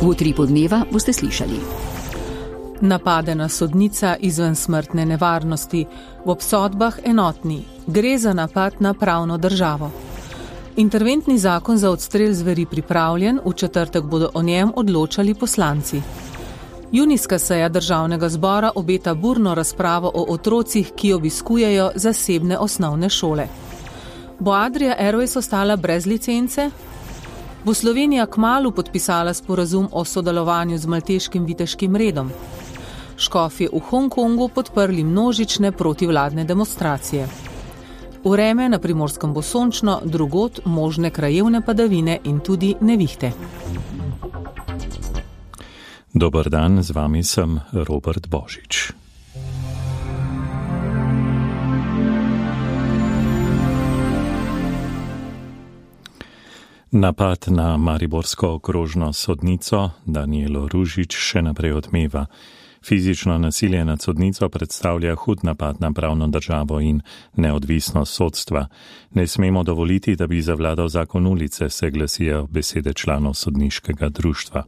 V Utripu dneva boste slišali. Napadena sodnica izven smrtne nevarnosti, v obsodbah enotni. Gre za napad na pravno državo. Interventni zakon za odstrel zveri pripravljen, v četrtek bodo o njem odločali poslanci. Junijska seja Državnega zbora obeta burno razpravo o otrocih, ki obiskujejo zasebne osnovne šole. Bo Adria Airways ostala brez licence? Bo Slovenija kmalu podpisala sporazum o sodelovanju z malteškim viteškim redom? Škofje v Hongkongu podprli množične protivladne demonstracije. Vreme na Primorskem bo sončno, drugod možne krajevne padavine in tudi nevihte. Dober dan, z vami sem Robert Božič. Napad na mariborsko okrožno sodnico Danijelo Ružič še naprej odmeva. Fizično nasilje nad sodnico predstavlja hud napad na pravno državo in neodvisnost sodstva. Ne smemo dovoliti, da bi zavladal zakon ulice, se glasijo besede članov sodniškega društva.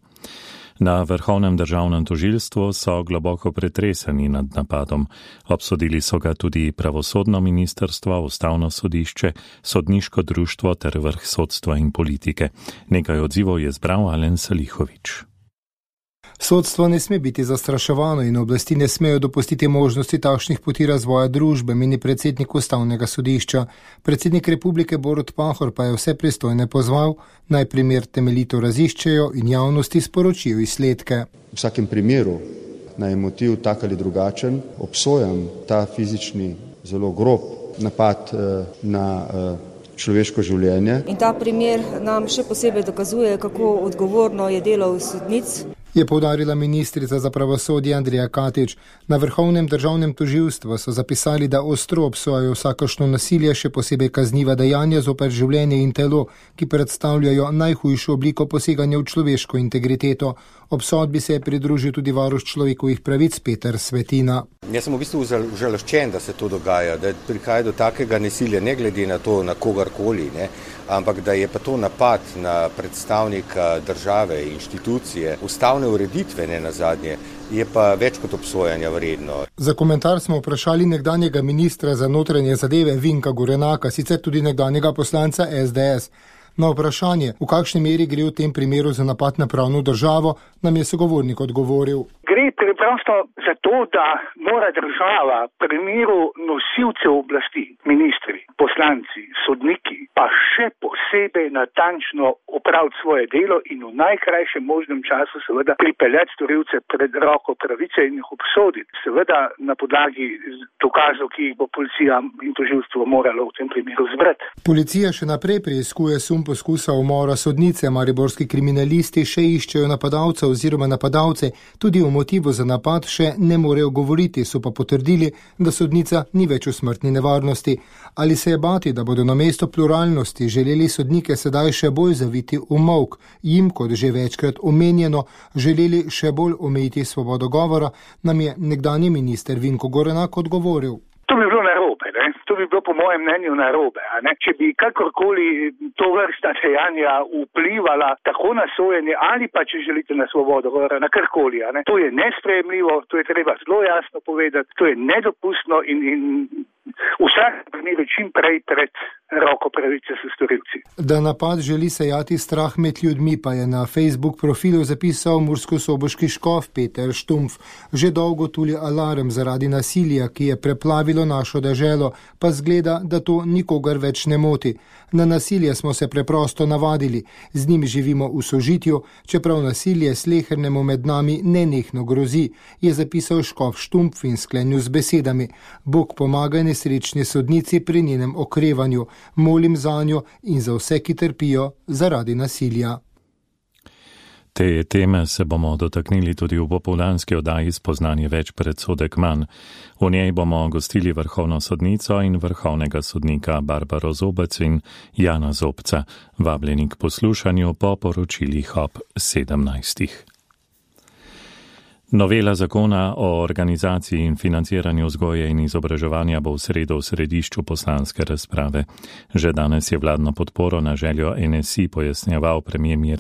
Na Vrhovnem državnem tožilstvu so globoko pretreseni nad napadom. Obsodili so ga tudi pravosodno ministrstvo, ustavno sodišče, sodniško društvo ter vrh sodstva in politike. Nekaj odzivov je zbral Alen Salihovič. Sodstvo ne sme biti zastraševano in oblasti ne smejo dopustiti možnosti takšnih poti razvoja družbe, meni predsednik ustavnega sodišča. Predsednik republike Borut Pahor pa je vse pristojne pozval, naj primer temeljito raziščejo in javnosti sporočijo izsledke. V vsakem primeru, naj je motiv tak ali drugačen, obsojam ta fizični, zelo grob napad na človeško življenje. In ta primer nam še posebej dokazuje, kako odgovorno je delo sodnic, je poudarila ministrica za pravosodje Andreja Katič. Na Vrhovnem državnem tožilstvu so zapisali, da ostro obsojajo vsakršno nasilje, še posebej kazniva dejanja zoper življenje in telo, ki predstavljajo najhujšo obliko poseganja v človeško integriteto. Obsodbi se je pridružil tudi varuh človekovih pravic Peter Svetina. Jaz sem v bistvu užaloščen, da se to dogaja, da prihaja do takega nasilja, ne glede na to, na kogarkoli, ampak da je pa to napad na predstavnika države, inštitucije, ustavne ureditve, ne nazadnje, je pa več kot obsojanja vredno. Za komentar smo vprašali nekdanjega ministra za notranje zadeve Vinka Gorenaka, sicer tudi nekdanjega poslanca SDS. Na vprašanje, v kakšni meri gre v tem primeru za napad na pravno državo, nam je sogovornik odgovoril. Gre preprosto za to, da mora država v primeru nosilcev oblasti, ministri, poslanci, sodniki, pa še posebej natančno opraviti svoje delo in v najkrajšem možnem času seveda pripeljati storilce pred roko pravice in jih obsoditi. Seveda na podlagi dokazov, ki jih bo policija in tožilstvo moralo v tem primeru zbrati. Policija še naprej preiskuje sum poskusa umora sodnice. Mariborski kriminalisti še iščejo napadalca oziroma napadalce. Tudi o motivu za napad še ne morejo govoriti, so pa potrdili, da sodnica ni več v smrtni nevarnosti. Ali se je bati, da bodo namesto pluralnosti želeli sodnike sedaj še bolj zaviti v molk, jim, kot že večkrat omenjeno, želeli še bolj omejiti svobodo govora, nam je nekdanji minister Vinko Gorenak odgovoril. To bi bilo narobe, to bi bilo po mojem mnenju narobe. Če bi kakorkoli to vrsta dejanja vplivala tako na sojenje ali pa, če želite, na svobodo govora, na karkoli. To je nesprejemljivo, to je treba zelo jasno povedati, to je nedopustno in vsak primer čim prej pred roko pravice s storilci. Da napad želi sejati strah med ljudmi, pa je na Facebook profilu zapisal murskosoboški škof Peter Štumpf. Že dolgo tuli alarm zaradi nasilja, ki je preplavilo našo deželo, pa zgleda, da to nikogar več ne moti. Na nasilje smo se preprosto navadili, z njim živimo v sožitju, čeprav nasilje slehernemu med nami nenehno grozi, je zapisal škof Štumpf in sklenil z besedami: Bog pomaga nesrečni sodnici pri njenem okrevanju, molim zanjo in za vse, ki trpijo zaradi nasilja. Te teme se bomo dotaknili tudi v popoldanski oddaji Spoznanje več, predsodek manj. V njej bomo gostili vrhovno sodnico in vrhovnega sodnika Barbaro Zobec in Jana Zobca. Vabljeni k poslušanju po poročilih ob 17. Novela zakona o organizaciji in financiranju vzgoje in izobraževanja bo v sredo v središču poslanske razprave. Že danes je vladno podporo na željo NSI pojasnjeval premier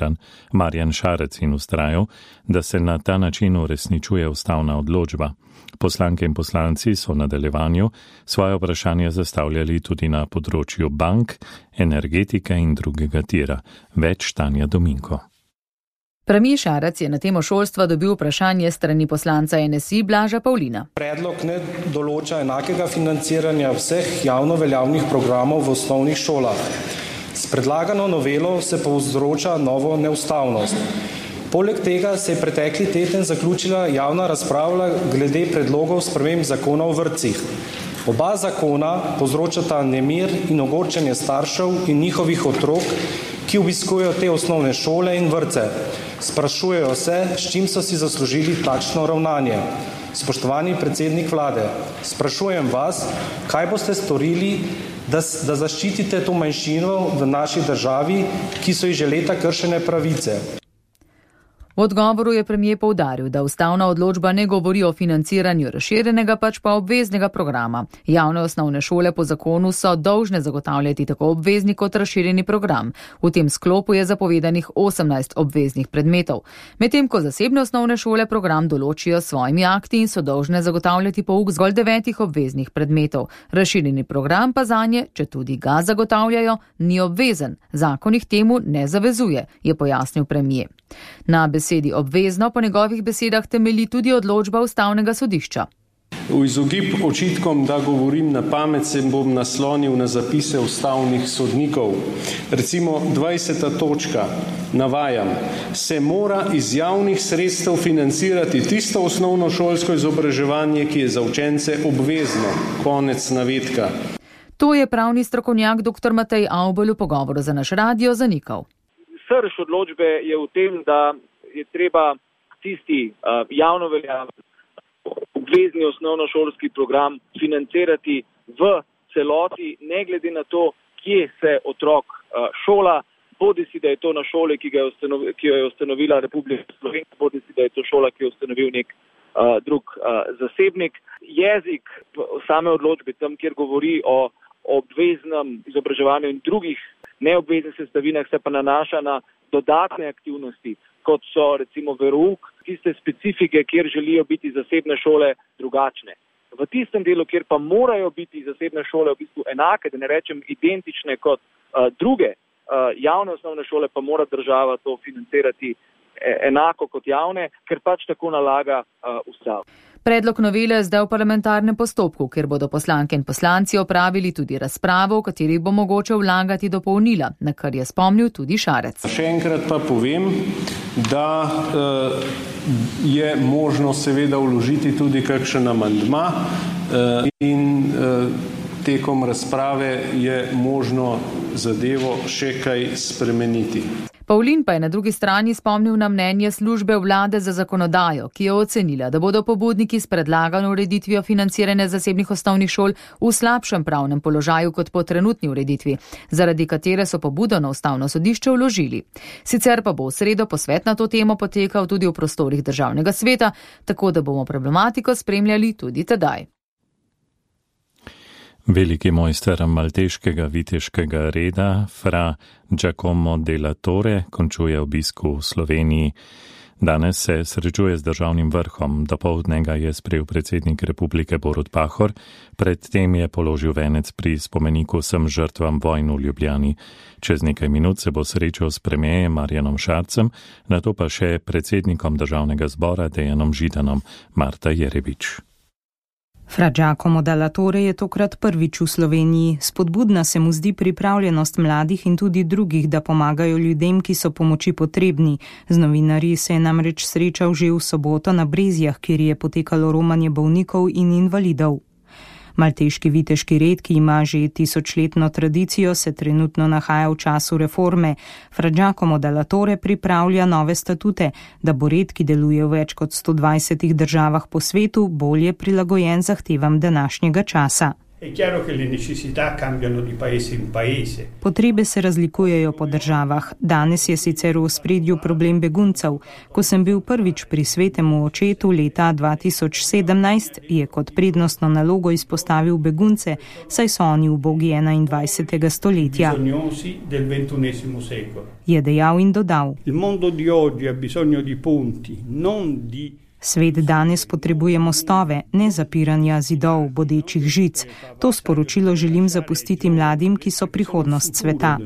Marjan Šarec in ustrajal, da se na ta način uresničuje ustavna odločba. Poslanke in poslanci so v nadaljevanju svoje vprašanje zastavljali tudi na področju bank, energetike in drugega tira. Več Tanja Dominko. Premier Šarec je na temo šolstva dobil vprašanje strani poslanca NSI Blaža Pavlina. Predlog ne določa enakega financiranja vseh javno veljavnih programov v osnovnih šolah. S predlagano novelo se povzroča novo neustavnost. Poleg tega se je pretekli teden zaključila javna razprava glede predlogov sprememb zakona o vrtcih. Oba zakona povzročata nemir in ogorčenje staršev in njihovih otrok, ki obiskujejo te osnovne šole in vrtce. Sprašujejo se, s čim so si zaslužili takšno ravnanje. Spoštovani predsednik vlade, sprašujem vas, kaj boste storili, da zaščitite to manjšino v naši državi, ki so ji že leta kršene pravice. V odgovoru je premier poudaril, da ustavna odločba ne govori o financiranju razširjenega, pač pa obveznega programa. Javne osnovne šole po zakonu so dolžne zagotavljati tako obvezni kot razširjeni program. V tem sklopu je zapovedanih 18 obveznih predmetov. Medtem ko zasebne osnovne šole program določijo s svojimi akti in so dolžne zagotavljati pouk zgolj 9 obveznih predmetov. Razširjeni program pa zanje, če tudi ga zagotavljajo, ni obvezen. Zakon jih temu ne zavezuje, je pojasnil premier. Na besedi obvezno po njegovih besedah temelji tudi odločba ustavnega sodišča. V izogib očitkom, da govorim na pamet, se bom naslonil na zapise ustavnih sodnikov. Recimo 20. točka, navajam, se mora iz javnih sredstev financirati tisto osnovno šolsko izobraževanje, ki je za učence obvezno. Konec navedka. To je pravni strokovnjak dr. Matej Avbelj v pogovoru za naš radio zanikal. Srž odločbe je v tem, da je treba tisti javno veljaven obvezni osnovnošolski program financirati v celoti, ne glede na to, kje se otrok šola, bodisi da je to na šoli, ki jo je ustanovila Republika Slovenija, bodisi da je to šola, ki jo je ustanovil nek drug zasebnik. Jezik same odločbe, tam, kjer govori o obveznem izobraževanju in drugih neobveznih sestavinah, se pa nanaša na dodatne aktivnosti, kot so recimo verouk, tiste specifike, kjer želijo biti zasebne šole drugačne. V tistem delu, kjer pa morajo biti zasebne šole v bistvu enake, da ne rečem identične kot druge javne osnovne šole, pa mora država to financirati enako kot javne, ker pač tako nalaga ustava. Predlog novele je zdaj v parlamentarnem postopku, kjer bodo poslanke in poslanci opravili tudi razpravo, v kateri bo mogoče vlagati dopolnila, na kar je spomnil tudi Šarec. Še enkrat pa povem, da je možno seveda vložiti tudi kakšen amandma in tekom razprave je možno zadevo še kaj spremeniti. Pavlin pa je na drugi strani spomnil na mnenje službe vlade za zakonodajo, ki je ocenila, da bodo pobudniki s predlagano ureditvijo financiranja zasebnih osnovnih šol v slabšem pravnem položaju kot po trenutni ureditvi, zaradi katere so pobudo na ustavno sodišče vložili. Sicer pa bo v sredo posvet na to temo potekal tudi v prostorih državnega sveta, tako da bomo problematiko spremljali tudi tedaj. Veliki mojster malteškega viteškega reda, fra Giacomo della Torre, končuje obisk v Sloveniji. Danes se srečuje z državnim vrhom, dopoldne ga je sprejel predsednik republike Borut Pahor, predtem je položil venec pri spomeniku vsem žrtvam vojn v Ljubljani. Čez nekaj minut se bo srečal s premierjem Marjanom Šarcem, nato pa še predsednikom državnega zbora Dejanom Židanom, Marta Jerebič. Fra Giacomo della Torre je tokrat prvič v Sloveniji. Spodbudna se mu zdi pripravljenost mladih in tudi drugih, da pomagajo ljudem, ki so pomoči potrebni. Z novinarji se je namreč srečal že v soboto na Brezjah, kjer je potekalo romanje bolnikov in invalidov. Malteški viteški red, ki ima že 1000-letno tradicijo, se trenutno nahaja v času reforme. Fra Giacomo della Torre pripravlja nove statute, da bo red, ki deluje v več kot 120 državah po svetu, bolje prilagojen zahtevam današnjega časa. Potrebe se razlikujejo po državah. Danes je sicer v ospredju problem beguncev. Ko sem bil prvič pri Svetemu očetu leta 2017, je kot prednostno nalogo izpostavil begunce, saj so oni ubogi 21. stoletja. Je dejal in dodal. Svet danes potrebuje mostove, ne zapiranja zidov, bodečih žic. To sporočilo želim zapustiti mladim, ki so prihodnost sveta.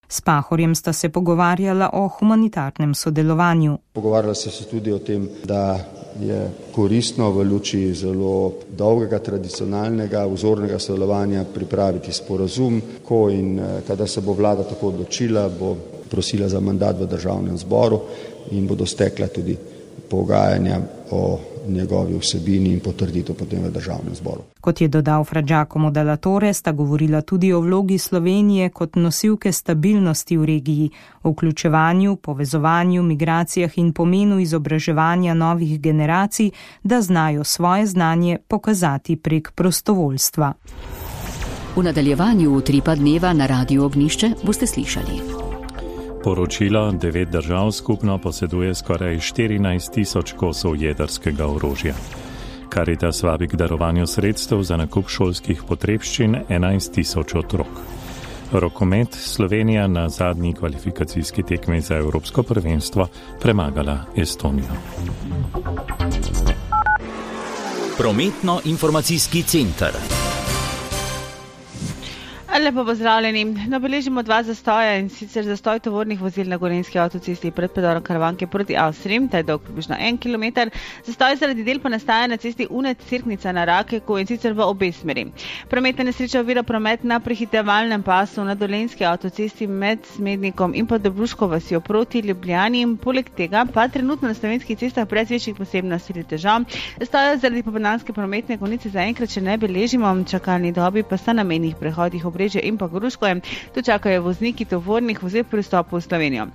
S Pahorjem sta se pogovarjala o humanitarnem sodelovanju. Pogovarjala se tudi o tem, da je koristno v luči zelo dolgega, tradicionalnega, vzornega sodelovanja pripraviti sporazum, ko in kada se bo vlada tako odločila, bo prosila za mandat v državnem zboru in bodo stekla tudi pogajanja o njegovi vsebini in potrditev potem v državnem zboru. Kot je dodal Fra Giacomo Della Torre, sta govorila tudi o vlogi Slovenije kot nosilke stabilnosti v regiji, o vključevanju, povezovanju, migracijah in pomenu izobraževanja novih generacij, da znajo svoje znanje pokazati prek prostovoljstva. V nadaljevanju Utripa dneva na Radiu Ognišče boste slišali. Poročilo 9 držav skupno poseduje skoraj 14.000 kosov jedrskega orožja. Caritas vabi k darovanju sredstev za nakup šolskih potrebščin 11.000 otrok. Rokomet Slovenija na zadnji kvalifikacijski tekmi za Evropsko prvenstvo premagala Estonijo. Prometno-informacijski center. Lepo pozdravljeni. Beležimo 2 zastoja, in sicer zastoj tovornih vozil na Gorenjski avtocesti pred predorom Karavanke proti Avstriji, ta je dolg približno 1 km. Zastoj zaradi del pa nastaja na cesti Unet-Cerknica na Rakeku, in sicer v obe smeri. Prometna nesreča ovira promet na prehitevalnem pasu na Dolenjski avtocesti med Smednikom in pa Dobruško vasjo proti Ljubljani. Poleg tega pa trenutno na slovenskih cestah brez večjih posebnosti ali težav. Zastoja zaradi popoldanske prometne konice zaenkrat še ne beležimo, čakalni dobi pa sta na mejnih prehodih Obrežje in pa Gruškoje. Tu čakajo vozniki tovornih vozil pri vstopu v Slovenijo.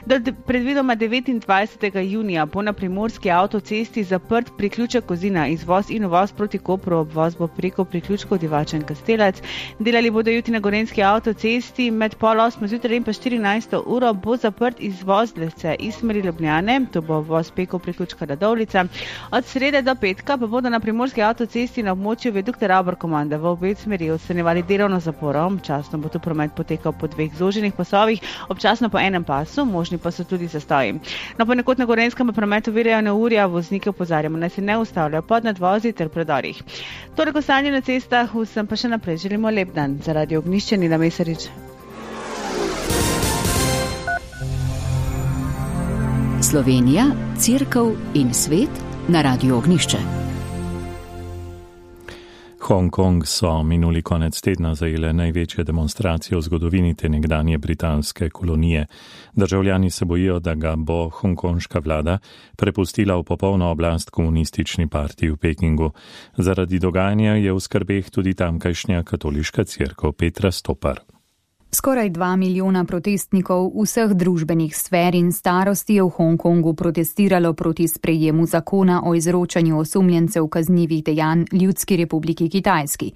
Do predvidoma 29. junija bo na primorski avtocesti zaprt priključek Kozina, izvoz in uvoz proti Kopru, obvoz bo preko priključkov Divača in Kastelec. Delali bodo jutri na Gorenjski avtocesti med 7:30 zjutraj in pa 14. uro bo zaprt izvoz Lesce iz smeri Ljubljane, to bo obvoz preko priključka Radovljica. Od srede do petka pa bodo na primorski avtocesti na območju viadukta Ravbar-Komanda v obe smeri odstranjevali delovno zaporo. Občasno bo tu promet potekal po 2 zoženih pasovih, občasno po enem pasu, možni pa so tudi zastoji. No, ponekod na Gorenjskem pa promet ovirajo neurja, voznike opozarjamo, naj se ne ustavljajo pod nadvozi ter predorih. Torej, ko stanje na cestah, vsem pa še naprej želimo lep dan. Za Radio Ognišče, Nina Mesarič. Slovenija, Cerkev in svet na Radiu Ognišče. Hongkong so minuli konec tedna zajele največje demonstracije v zgodovini te nekdanje britanske kolonije. Državljani se bojijo, da ga bo hongkonška vlada prepustila v popolno oblast komunistični partiji v Pekingu. Zaradi dogajanja je v skrbeh tudi tamkajšnja katoliška cerkev. Petra Stopar. Skoraj 2 milijona protestnikov vseh družbenih sfer in starosti je v Hongkongu protestiralo proti sprejemu zakona o izročanju osumljencev kaznivih dejanj Ljudski republiki Kitajski.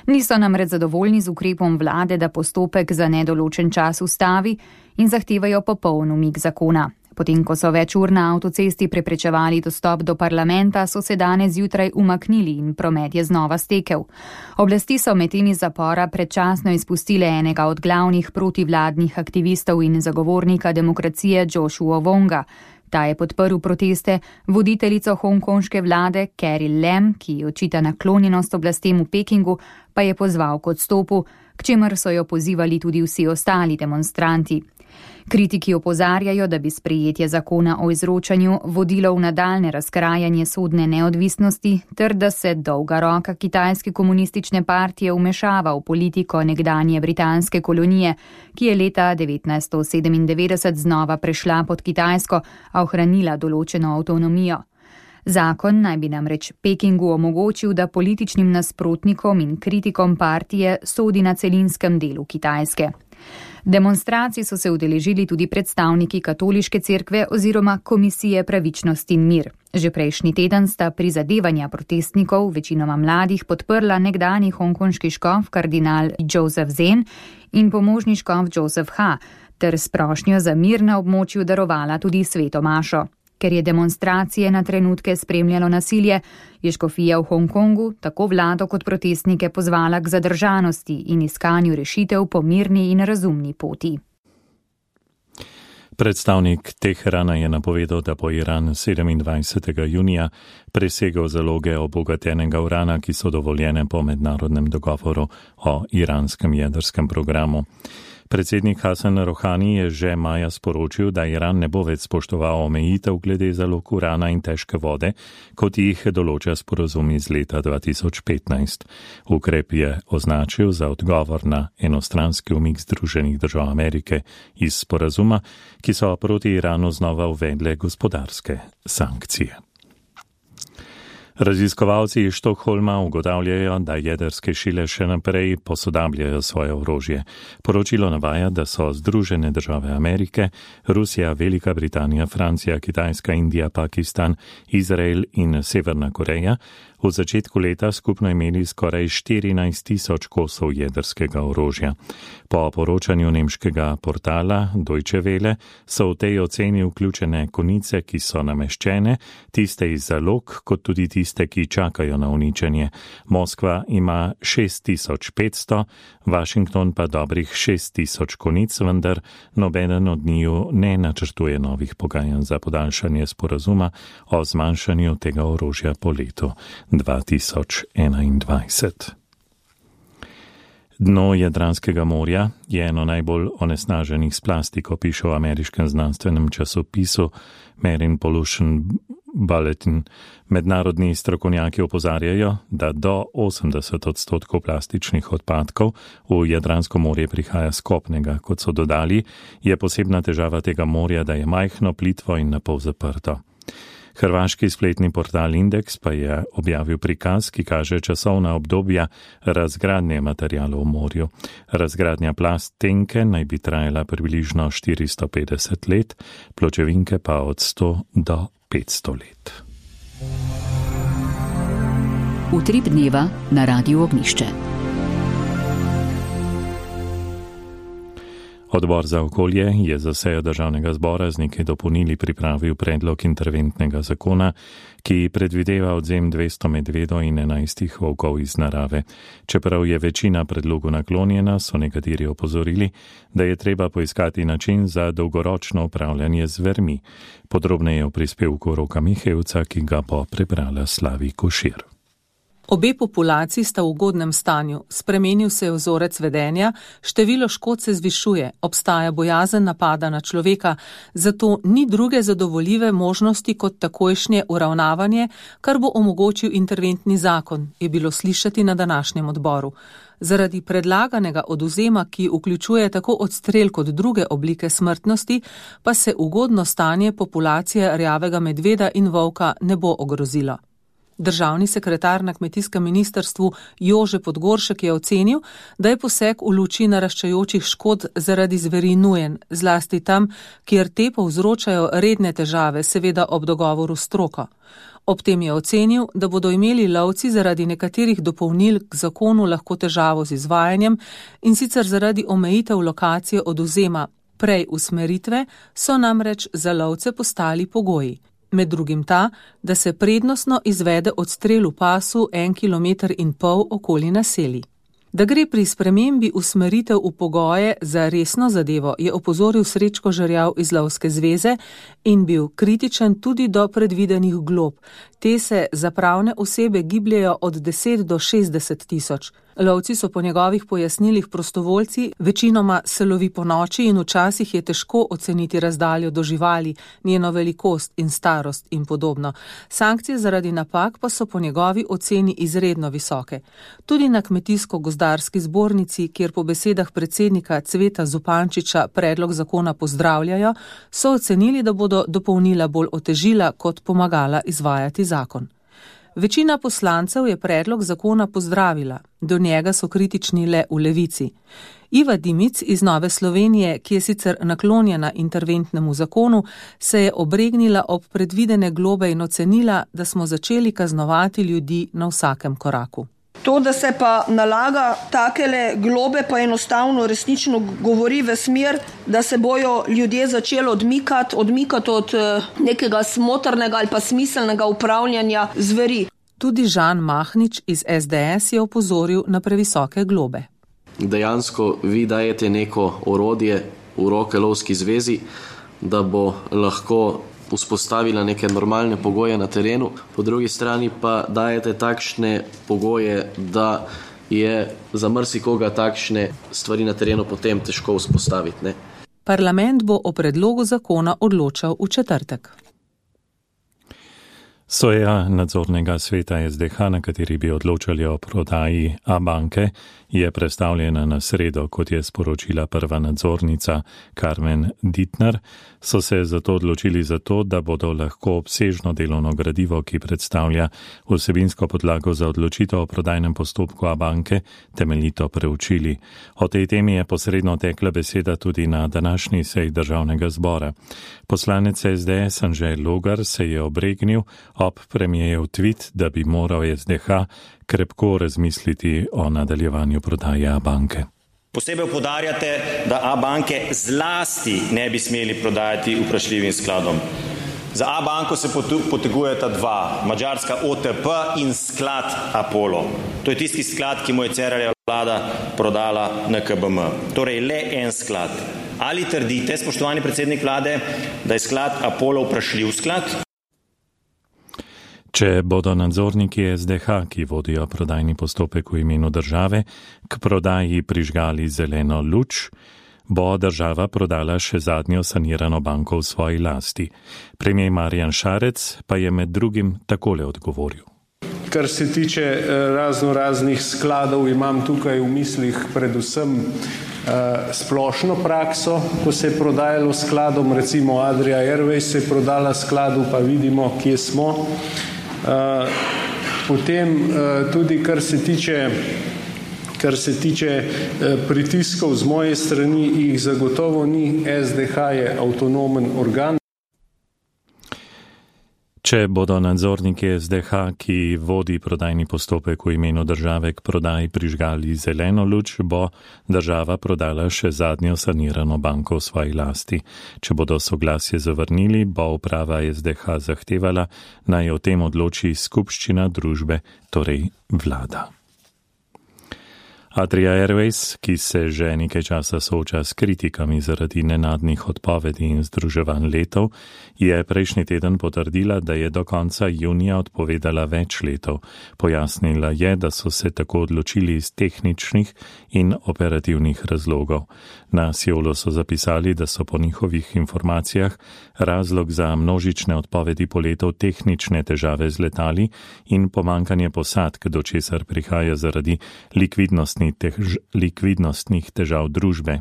Niso namreč zadovoljni z ukrepom vlade, da postopek za nedoločen čas ustavi in zahtevajo popoln umik zakona. Potem, ko so več ur na avtocesti preprečevali dostop do parlamenta, so se danes zjutraj umaknili in promet je znova stekel. Oblasti so medtem iz zapora predčasno izpustile enega od glavnih protivladnih aktivistov in zagovornika demokracije Joshua Wonga. Ta je podprl proteste, voditeljico hongkonške vlade Carrie Lam, ki očita naklonjenost oblastem v Pekingu, pa je pozval k odstopu, k čemer so jo pozivali tudi vsi ostali demonstranti. Kritiki opozarjajo, da bi sprejetje zakona o izročanju vodilo v nadaljne razkrajanje sodne neodvisnosti ter da se dolga roka kitajske komunistične partije vmešava v politiko nekdanje britanske kolonije, ki je leta 1997 znova prešla pod Kitajsko, a ohranila določeno avtonomijo. Zakon naj bi namreč Pekingu omogočil, da političnim nasprotnikom in kritikom partije sodi na celinskem delu Kitajske. Demonstracij so se udeležili tudi predstavniki Katoliške cerkve oziroma Komisije pravičnost in mir. Že prejšnji teden sta prizadevanja protestnikov, večinoma mladih, podprla nekdanji hongkonški škof kardinal Joseph Zen in pomožni škof Joseph Ha, ter s prošnjo za mir na območju darovala tudi sveto mašo. Ker je demonstracije na trenutke spremljalo nasilje, je škofija v Hongkongu tako vlado kot protestnike pozvala k zadržanosti in iskanju rešitev po mirni in razumni poti. Predstavnik Teherana je napovedal, da bo Iran 27. junija presegel zaloge obogatenega urana, ki so dovoljene po mednarodnem dogovoru o iranskem jedrskem programu. Predsednik Hasan Rohani je že maja sporočil, da Iran ne bo več spoštoval omejitev glede zalog urana in težke vode, kot jih določa sporazum iz leta 2015. Ukrep je označil za odgovor na enostranski umik Združenih držav Amerike iz sporazuma, ki so proti Iranu znova uvedle gospodarske sankcije. Raziskovalci iz Štokholma ugotavljajo, da jedrske sile še naprej posodabljajo svoje orožje. Poročilo navaja, da so Združene države Amerike, Rusija, Velika Britanija, Francija, Kitajska, Indija, Pakistan, Izrael in Severna Koreja v začetku leta skupno imeli skoraj 14.000 kosov jedrskega orožja. Po poročanju nemškega portala Deutsche Welle so v tej oceni vključene konice, ki so nameščene, tiste iz zalog, kot tudi tiste, ki čakajo na uničenje. Moskva ima 6.500, Washington pa dobrih 6.000 konic, vendar nobeden od njiju ne načrtuje novih pogajanj za podaljšanje sporazuma o zmanjšanju tega orožja po letu 2021. Dno Jadranskega morja je eno najbolj onesnaženih s plastiko, piše v ameriškem znanstvenem časopisu Marine Pollution Bulletin. Mednarodni strokovnjaki opozarjajo, da do 80% plastičnih odpadkov v Jadransko morje prihaja s kopnega. Kot so dodali, je posebna težava tega morja, da je majhno, plitvo in napol zaprto. Hrvaški spletni portal Indeks pa je objavil prikaz, ki kaže časovna obdobja razgradnje materialov v morju. Razgradnja plastenke naj bi trajala približno 450 let, pločevinke pa od 100 do 500 let. Utrip dneva na Radiu Ognjišče. Odbor za okolje je za sejo Državnega zbora z nekaj dopolnili pripravil predlog interventnega zakona, ki predvideva odzem 200 medvedov in 11 volkov iz narave. Čeprav je večina predlogu naklonjena, so nekateri opozorili, da je treba poiskati način za dolgoročno upravljanje z zvermi. Podrobneje v prispevku Roka Mihevca, ki ga bo prebrala Slavi Košir. Obe populaciji sta v ugodnem stanju, spremenil se je vzorec vedenja, število škod se zvišuje, obstaja bojazen napada na človeka, zato ni druge zadovoljive možnosti kot takojšnje uravnavanje, kar bo omogočil interventni zakon, je bilo slišati na današnjem odboru. Zaradi predlaganega odvzema, ki vključuje tako odstrel kot druge oblike smrtnosti, pa se ugodno stanje populacije rjavega medveda in volka ne bo ogrozilo. Državni sekretar na kmetijskem ministrstvu Jože Podgoršek je ocenil, da je poseg v luči naraščajočih škod zaradi zveri nujen, zlasti tam, kjer te povzročajo redne težave, seveda ob dogovoru s stroko. Ob tem je ocenil, da bodo imeli lovci zaradi nekaterih dopolnil k zakonu lahko težavo z izvajanjem, in sicer zaradi omejitev lokacije odvzema. Prej usmeritve so namreč za lovce postali pogoji. Med drugim ta, da se prednostno izvede odstrel v pasu 1,5 km okoli naselij. Da gre pri spremembi usmeritev v pogoje za resno zadevo, je opozoril Srečko Žerjav iz Lovske zveze in bil kritičen tudi do predvidenih glob. Te se za pravne osebe gibljejo od 10 do 60 tisoč. Lovci so po njegovih pojasnilih prostovoljci, večinoma se lovi po noči in včasih je težko oceniti razdaljo do živali, njeno velikost in starost in podobno. Sankcije zaradi napak pa so po njegovi oceni izredno visoke. Tudi na Kmetijsko-gozdarski zbornici, kjer po besedah predsednika Cveta Zupančiča predlog zakona pozdravljajo, so ocenili, da bodo dopolnila bolj otežila kot pomagala izvajati zakon. Večina poslancev je predlog zakona pozdravila, do njega so kritični le v Levici. Iva Dimic iz Nove Slovenije, ki je sicer naklonjena interventnemu zakonu, se je obregnila ob predvidene globe in ocenila, da smo začeli kaznovati ljudi na vsakem koraku. To, da se pa nalaga takele globe, pa enostavno resnično govori v smer, da se bojo ljudje začeli odmikati od nekega smotrnega ali pa smiselnega upravljanja zveri. Tudi Žan Mahnič iz SDS je opozoril na previsoke globe. Dejansko vi dajete neko orodje v roke lovski zvezi, da bo lahko vzpostavila neke normalne pogoje na terenu, po drugi strani pa dajete takšne pogoje, da je za marsikoga takšne stvari na terenu potem težko vzpostaviti. Ne? Parlament bo o predlogu zakona odločal v četrtek. Soja nadzornega sveta SDH, na kateri bi odločali o prodaji Abanke, je prestavljena na sredo, kot je sporočila prva nadzornica Carmen Dittner. So se zato odločili da bodo lahko obsežno delovno gradivo, ki predstavlja vsebinsko podlago za odločitev o prodajnem postopku Abanke, temeljito preučili. O tej temi je posredno tekla beseda tudi na današnji seji državnega zbora. Poslanec SDS Anže Logar se je obregnil ob premijejev tweet, da bi moral SDH krepko razmisliti o nadaljevanju prodaje Abanke. Posebej poudarjate, da Abanke zlasti ne bi smeli prodajati vprašljivim skladom. Za Abanko se potegujeta dva, madžarska OTP in sklad Apollo. To je tisti sklad, ki mu je Cerarjeva vlada prodala NKBM. Torej le en sklad. Ali trdite, spoštovani predsednik vlade, da je sklad Apollo vprašljiv sklad? Če bodo nadzorniki SDH, ki vodijo prodajni postopek v imenu države, k prodaji prižgali zeleno luč, bo država prodala še zadnjo sanirano banko v svoji lasti. Premier Marjan Šarec pa je med drugim takole odgovoril. Kar se tiče raznih skladov, imam tukaj v mislih predvsem splošno prakso, ko se je prodajalo skladom, recimo Adria Airways se je prodala skladu, pa vidimo, kje smo. Potem tudi kar se tiče pritiskov z moje strani, jih zagotovo ni. SDH je avtonomen organ. Če bodo nadzorniki SDH, ki vodi prodajni postopek v imenu države, k prodaji prižgali zeleno luč, bo država prodala še zadnjo sanirano banko v svoji lasti. Če bodo soglasje zavrnili, bo uprava SDH zahtevala, naj o tem odloči skupščina družbe, torej vlada. Adria Airways, ki se že nekaj časa sooča s kritikami zaradi nenadnih odpovedi in združevanj letov, je prejšnji teden potrdila, da je do konca junija odpovedala več letov. Pojasnila je, da so se tako odločili iz tehničnih in operativnih razlogov. Na Siolu so zapisali, da so po njihovih informacijah razlog za množične odpovedi poletov tehnične težave z letali in pomankanje posadk, do česar prihaja zaradi likvidnostnih težav družbe.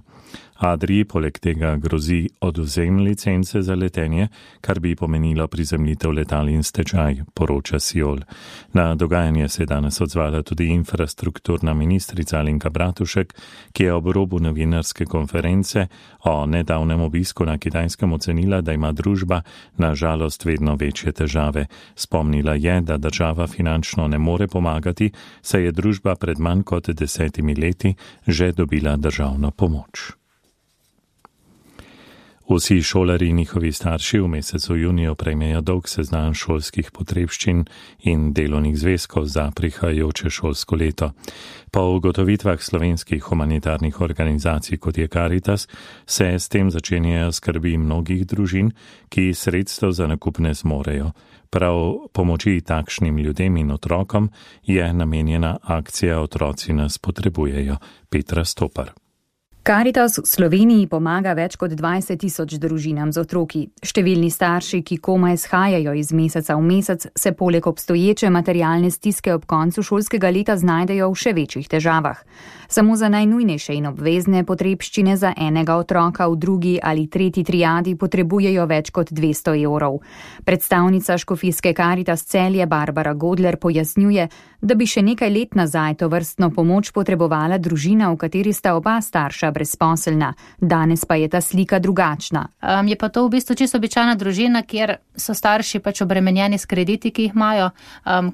Adrii poleg tega grozi odvzem licence za letenje, kar bi pomenilo prizemljitev letal in stečaj, poroča Siol. Na dogajanje se je danes odzvala tudi infrastrukturna ministrica Alenka Bratušek, ki je ob robu novinarske konference o nedavnem obisku na Kitajskem ocenila, da ima družba na žalost vedno večje težave. Spomnila je, da država finančno ne more pomagati, saj je družba pred manj kot 10 leti že dobila državno pomoč. Vsi šolarji in njihovi starši v mesecu juniju prejmejo dolg seznam šolskih potrebščin in delovnih zvezkov za prihajajoče šolsko leto. Po ugotovitvah slovenskih humanitarnih organizacij, kot je Caritas, se s tem začenjajo skrbi mnogih družin, ki sredstev za nakup ne zmorejo. Prav pomoči takšnim ljudem in otrokom je namenjena akcija Otroci nas potrebujejo. Petra Stopar. Karitas v Sloveniji pomaga več kot 20 000 družinam z otroki. Številni starši, ki komaj shajajo iz meseca v mesec, se poleg obstoječe materialne stiske ob koncu šolskega leta znajdejo v še večjih težavah. Samo za najnujnejše in obvezne potrebščine za enega otroka v drugi ali tretji triadi potrebujejo več kot 200 evrov. Predstavnica škofijske Karitas Celje Barbara Godler pojasnjuje, da bi še nekaj let nazaj tovrstno pomoč potrebovala družina, v kateri sta oba starša brezposelna. Danes pa je ta slika drugačna. Je pa to v bistvu čisto običajna družina, kjer so starši pač obremenjeni s krediti, ki jih imajo,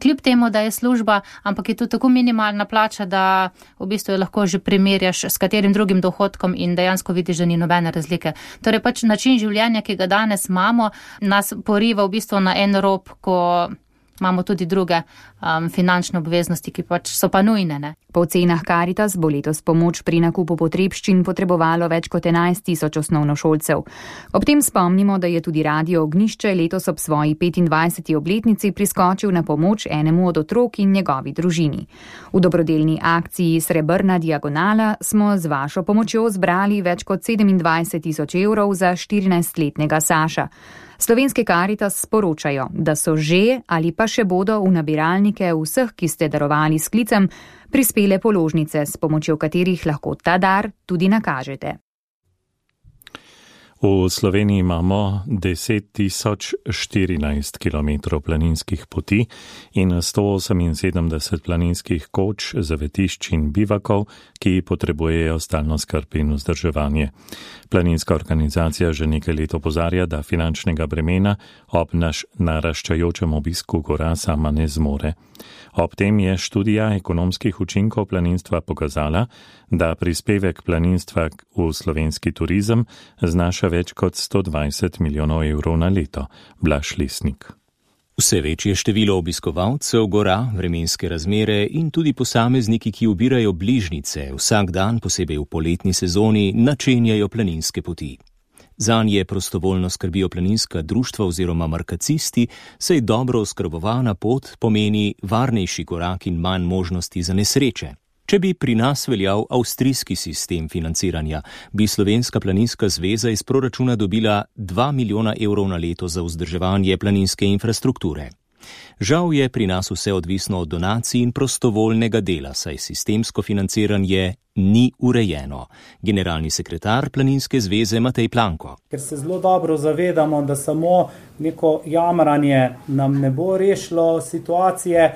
kljub temu, da je služba, ampak je to tako minimalna plača, da v bistvu lahko že primerjaš s katerim drugim dohodkom in dejansko vidiš, da ni nobene razlike. Torej pač način življenja, ki ga danes imamo, nas poriva v bistvu na en rob, ko imamo tudi druge finančne obveznosti, ki pač so pa nujne. Ne? Po ocenah Karitas bo letos pomoč pri nakupu potrebščin potrebovalo več kot 11 000 osnovnošolcev. Ob tem spomnimo, da je tudi Radio Ognjišče letos ob svoji 25. obletnici priskočil na pomoč enemu od otrok in njegovi družini. V dobrodelni akciji Srebrna diagonala smo z vašo pomočjo zbrali več kot 27 000 evrov za 14-letnega Saša. Slovenski Karitas sporočajo, da so že ali pa še bodo v nabiralnike vseh, ki ste darovali s klicem, prispele položnice, s pomočjo katerih lahko ta dar tudi nakažete. V Sloveniji imamo 10 014 km planinskih poti in 178 planinskih koč, zavetišč in bivakov, ki potrebujejo stalno skrb in vzdrževanje. Planinska organizacija že nekaj let opozarja, da finančnega bremena ob naraščajočem obisku gora sama ne zmore. Ob tem je študija ekonomskih učinkov planinstva pokazala, da prispevek planinstva v slovenski turizem znaša več kot 120 milijonov evrov na leto. Blaž Lesnik. Vse večje število obiskovalcev gora, vremenske razmere in tudi posamezniki, ki ubirajo bližnjice, vsak dan, posebej v poletni sezoni, načenjajo planinske poti. Zanje prostovoljno skrbijo planinska društva oziroma markacisti, saj dobro oskrbovana pot pomeni varnejši korak in manj možnosti za nesreče. Če bi pri nas veljal avstrijski sistem financiranja, bi Slovenska planinska zveza iz proračuna dobila 2 milijona evrov na leto za vzdrževanje planinske infrastrukture. Žal je pri nas vse odvisno od donacij in prostovoljnega dela, saj sistemsko financiranje ni urejeno. Generalni sekretar Planinske zveze Matej Planko. Ker se zelo dobro zavedamo, da samo neko jamranje nam ne bo rešilo situacije,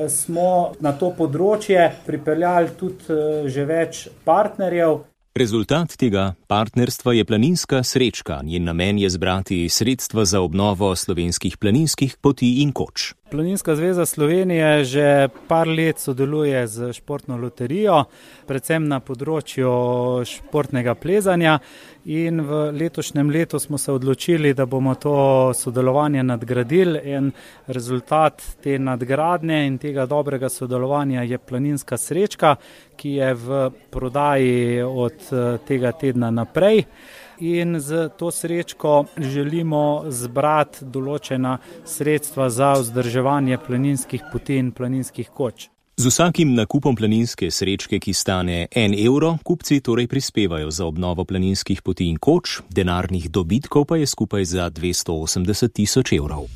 smo na to področje pripeljali tudi že več partnerjev. Rezultat tega partnerstva je planinska srečka. Njen namen je zbrati sredstva za obnovo slovenskih planinskih poti in koč. Planinska zveza Slovenije že par let sodeluje z športno loterijo, predvsem na področju športnega plezanja, in v letošnjem letu smo se odločili, da bomo to sodelovanje nadgradili, in rezultat te nadgradnje in tega dobrega sodelovanja je planinska srečka, ki je v prodaji od tega tedna naprej. In z to srečko želimo zbrati določena sredstva za vzdrževanje planinskih poti in planinskih koč. Z vsakim nakupom planinske srečke, ki stane 1 evro, kupci torej prispevajo za obnovo planinskih poti in koč, denarnih dobitkov pa je skupaj za 280 000 evrov.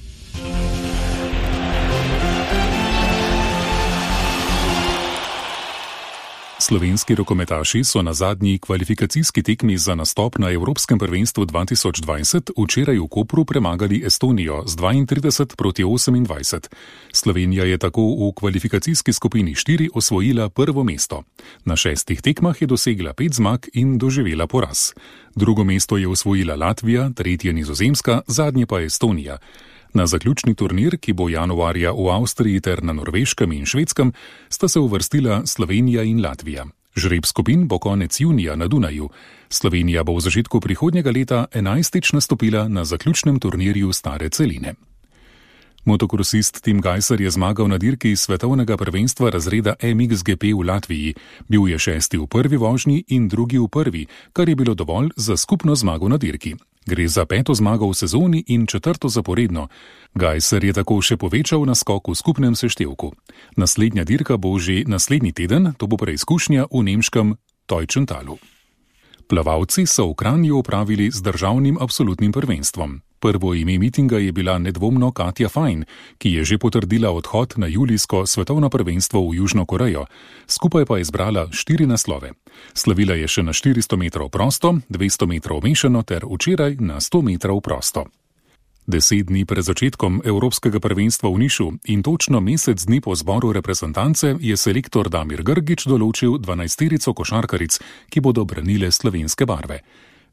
Slovenski rokometaši so na zadnji kvalifikacijski tekmi za nastop na Evropskem prvenstvu 2020 včeraj v Kopru premagali Estonijo z 32-28. Slovenija je tako v kvalifikacijski skupini 4 osvojila prvo mesto. Na 6 tekmah je dosegla 5 zmag in doživela poraz. Drugo mesto je osvojila Latvija, tretje Nizozemska, zadnje pa Estonija. Na zaključni turnir, ki bo januarja v Avstriji ter na Norveškem in Švedskem, sta se uvrstila Slovenija in Latvija. Žreb skupin bo konec junija na Dunaju. Slovenija bo v začetku prihodnjega leta 11. nastopila na zaključnem turnirju Stare celine. Motokrosist Tim Gajser je zmagal na dirki svetovnega prvenstva razreda MXGP v Latviji. Bil je 6. v prvi vožnji in 2. v prvi, kar je bilo dovolj za skupno zmago na dirki. Gre za 5. zmago v sezoni in 4. zaporedno. Gajser je tako še povečal naskok v skupnem seštevku. Naslednja dirka bo že naslednji teden, to bo preizkušnja v nemškem Teutschentalu. Plavalci so v Kranju opravili z državnim absolutnim prvenstvom. Prvo ime mitinga je bila nedvomno Katja Fajn, ki je že potrdila odhod na julijsko svetovno prvenstvo v Južno Korejo. Skupaj pa je zbrala 4 naslove. Slavila je še na 400 metrov prosto, 200 metrov mešano ter včeraj na 100 metrov prosto. 10 dni pred začetkom Evropskega prvenstva v Nišu in točno mesec dni po zboru reprezentance je selektor Damir Grgić določil 12-terico košarkaric, ki bodo branile slovenske barve.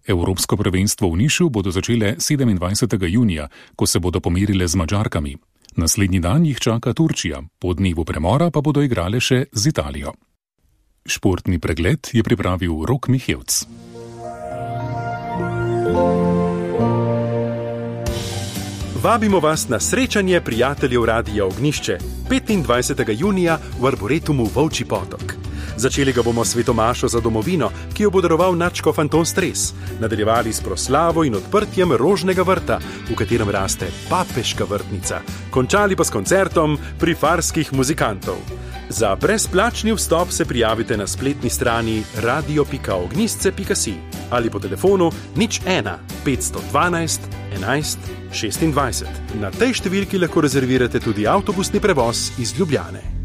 Evropsko prvenstvo v Nišu bodo začele 27. junija, ko se bodo pomerile z Madžarkami. Naslednji dan jih čaka Turčija, po dnevu premora pa bodo igrale še z Italijo. Športni pregled je pripravil Rok Mihevc. Vabimo vas na srečanje prijateljev Radia Ognišče 25. junija v Arboretumu Volčji potok. Začeli ga bomo s svetomašo za domovino, ki jo bo daroval nadškof Anton Stres. Nadaljevali s proslavo in odprtjem rožnega vrta, v katerem raste papeška vrtnica. Končali pa s koncertom pri farskih muzikantov. Za brezplačni vstop se prijavite na spletni strani radio.ognisce.si ali po telefonu 01 512 11 26. Na tej številki lahko rezervirate tudi avtobusni prevoz iz Ljubljane.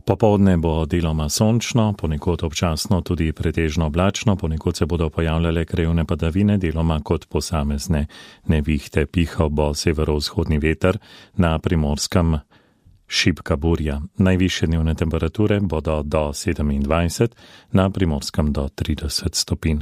Popoldne bo deloma sončno, ponekod občasno tudi pretežno oblačno, ponekod se bodo pojavljale krajevne padavine, deloma kot posamezne nevihte. Pihal bo severovzhodni veter, na Primorskem šibka burja. Najvišje dnevne temperature bodo do 27, na Primorskem do 30 stopinj.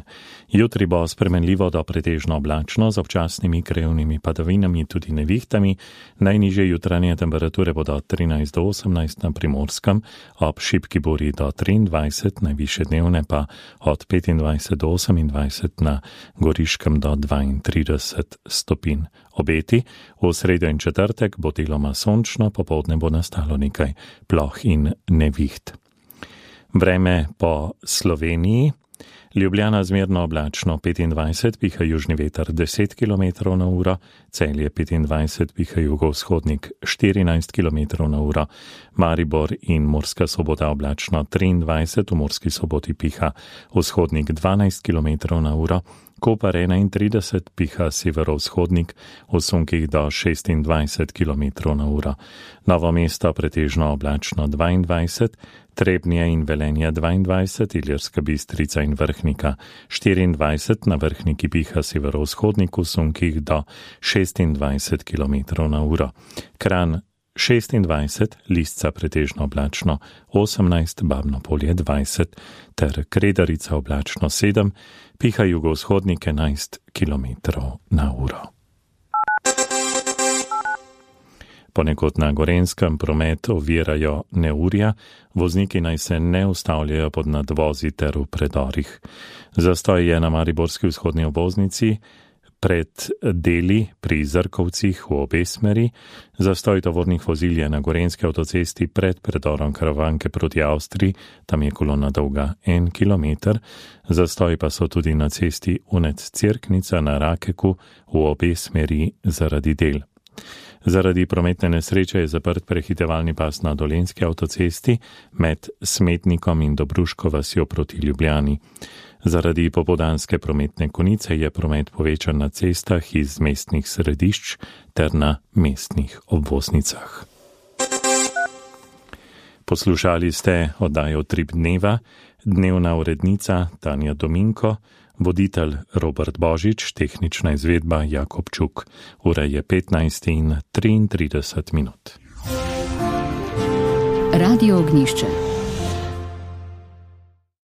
Jutri bo spremenljivo do pretežno oblačno z občasnimi krajevnimi padavinami, tudi nevihtami. Najnižje jutranje temperature bodo 13 do 18 na Primorskem, ob šibki burji do 23, najvišje dnevne pa od 25 do 28 na Goriškem do 32 stopinj. Obeti v sredo in četrtek bo deloma sončno, popoldne bo nastalo nekaj ploh in neviht. Vreme po Sloveniji. Ljubljana zmerno oblačno 25, piha južni veter 10 km na uro, Celje 25, piha jugovzhodnik 14 km na uro, Maribor in Murska Sobota oblačno 23, v Murski Soboti piha vzhodnik 12 km na uro, Koper 31, piha severovzhodnik v sunkih do 26 km na uro, Novo mesto pretežno oblačno 22, Trebnje in Velenje 22, Ilirska Bistrica in Vrhnika 24, na Vrhniki piha severovzhodnik v sunkih do 26 km na uro. Kranj 26, Lisca pretežno oblačno 18, Babno Polje 20 ter Kredarica oblačno 7, piha jugovzhodnik 11 km na uro. Ponekod na Gorenjskem promet ovirajo neurja, vozniki naj se ne ustavljajo pod nadvozi ter v predorih. Zastoj je na mariborski vzhodni obvoznici pred deli pri Zrkovcih v obe smeri, zastoj tovornih vozil je na Gorenjski avtocesti pred predorom Karavanke proti Avstriji, tam je kolona dolga 1 km, zastoj pa so tudi na cesti Unec-Cerknica na Rakeku v obe smeri zaradi del. Zaradi prometne nesreče je zaprt prehitevalni pas na Dolenjski avtocesti med Smetnikom in Dobruško vasjo proti Ljubljani. Zaradi popoldanske prometne konice je promet povečan na cestah iz mestnih središč ter na mestnih obvoznicah. Poslušali ste oddajo Trip dneva, dnevna urednica Tanja Dominko, voditelj Robert Božič, tehnična izvedba Jakob Čuk. Ura je 15:33. Radio Ognišče.